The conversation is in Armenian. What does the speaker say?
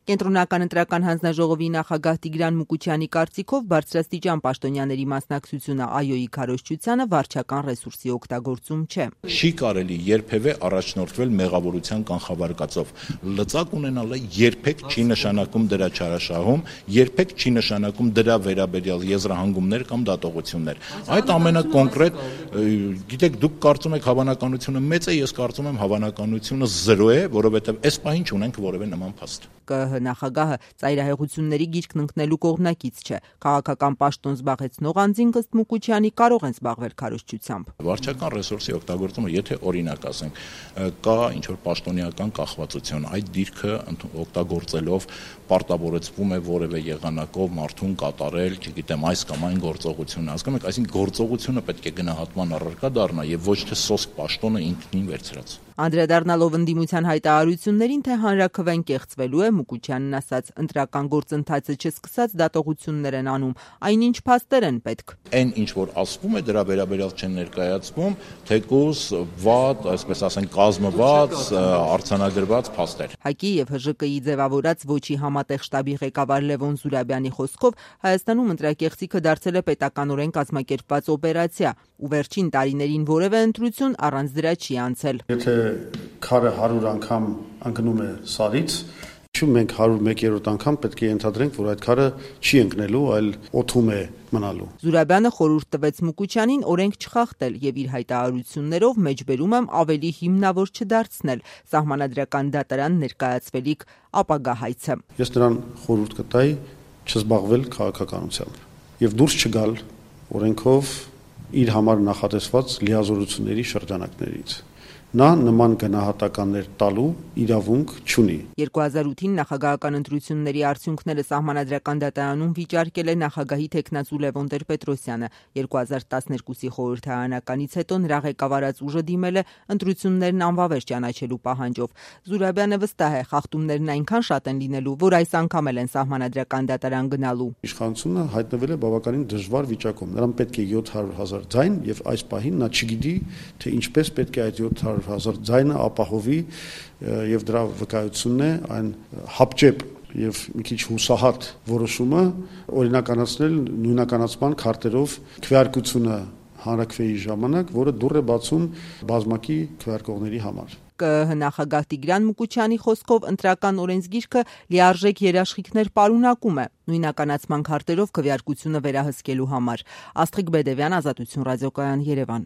Կենտրոնական ընտրական հանձնաժողովի նախագահ Տիգրան Մուկուչյանի կարծիքով բարձրաստիճան պաշտոնյաների մասնակցությունը ԱՅՈ-ի քարոզչությանը վարչական ռեսուրսի օգտագործում չէ։ Չի կարելի երբևէ առաջնորդվել մեղավորության կանխավարկածով։ Լծակ ունենալը երբեք չի նշանակում դրա չարաշահում, երբեք չի նշանակում դրա վերաբերյալ եզրահանգումներ կամ դատողություններ։ Այդ ամենակոնկրետ, գիտեք, դուք կարծում եք հավանականությունը մեծ է, ես կարծում եմ հավանականությունը 0 է, որովհետև այս պահին չունենք որևէ նման փաստ։ ԿԸՀ նախագահը ծայրահեղությունների գիրկն ընկնելու կողմնակից չէ։ Քաղաքական պաշտոն զբաղեցնող անձինք ըստ Մուկուչյանի կարող են զբաղվել քարոզչությամբ։ Վարչական ռեսուրսի օգտագործումը, եթե օրինակ ասենք, կա ինչ-որ պաշտոնեական կախվածություն, այդ դիրքը օգտագործելով պարտավորեցվում է որևէ եղանակով մարդուն կատարել, չգիտեմ, այս կամ այն գործողությունը, հասկանում եք, այսինքն գործողությունը պետք է գնահատման առարկա դառնա եւ ոչ թե սոսկ պաշտոնը ինքնին վերցրած։ Անդրադառնալով ընդդիմության հայտարարություններին, թե հանրաքվեն կեղծվելու է, Մուկուչյանն ասաց, ընտրական գործընթացը չսկսած դատողություններ են անում, այնինչ փաստեր են պետք։ Այն ինչ որ ասվում է, դրա վերաբերյալ չեն ներկայացվում, թեկուզ վատ, այսպես ասենք, կազմված, արձանագրված փաստեր։ ՀԱԿ-ի եւ ՀԺԿ-ի ձևավորած ոչի համատեղ շտաբի ղեկավար Լևոն Զուրաբյանի խոսքով Հայաստանում ընտրակեղծիքը դարձել է պետականորեն կազմակերպված օպերացիա, ու վերջին տարիներին որևէ ընտրություն առանց դրա չի անցել։ Եթե քարը 100 անգամ ընկնում է սարից, մենք 101-րդ անգամ պետք է ենթադրենք, որ այդ քարը չի ընկնելու, այլ օդում է մնալու։ Զուրաբյանը խորհուրդ տվեց Մուկուչյանին օրենք չխախտել եւ իր հայտարարություններով մեջբերում եմ ավելի հիմնավոր չդարձնել սահմանադրական դատարան ներկայացվելիք ապագա հայցը։ Ես նրան խորհուրդ կտայի չզբաղվել քաղաքականությամբ եւ դուրս չգալ օրենքով իր համար նախատեսված լիազորությունների շրջանակներից։ Նա նման գնահատականներ տալու իրավունք չունի։ 2008-ին նախագահական ընտրությունների արդյունքները սահմանադրական դատարանում վիճարկել է նախագահի թեկնածու Լևոն Տեր-Պետրոսյանը։ 2012-ի խորհրդարանականից հետո նրա ղեկավարած ուժը դիմել է ընտրություններն անվավեր ճանաչելու պահանջով։ Զուրաբյանը վստահ է, խախտումներն այնքան շատ են լինելու, որ այս անգամ էլ են սահմանադրական դատարան գնալու։ Իշխանությունը հայտնվել է բավականին դժվար վիճակում։ Նրան պետք է 700,000 ձայն եւ այս պահին նա չգիտի, թե ինչպես պետք է այդ 700,000 ձայնը ապահովի եւ դրա վկայությունն է այն հապճեպ եւ մի քիչ հուսահատ որոշումը օրինականացնել նույնականացման քարտերով քվեարկությունը հանրաքվեի ժամանակ, որը դուռ է բացում բազմակի քվեարկողների համար։ ԿԸՀ նախագահ Տիգրան Մուկուչյանի խոսքով ընտրական օրենսգիրքը լիարժեք երաշխիքներ պարունակում է նույնականացման քարտերով քվեարկությունը վերահսկելու համար։ Աստղիկ Բեդևյան, Ազատություն ռադիոկայան, Երևան։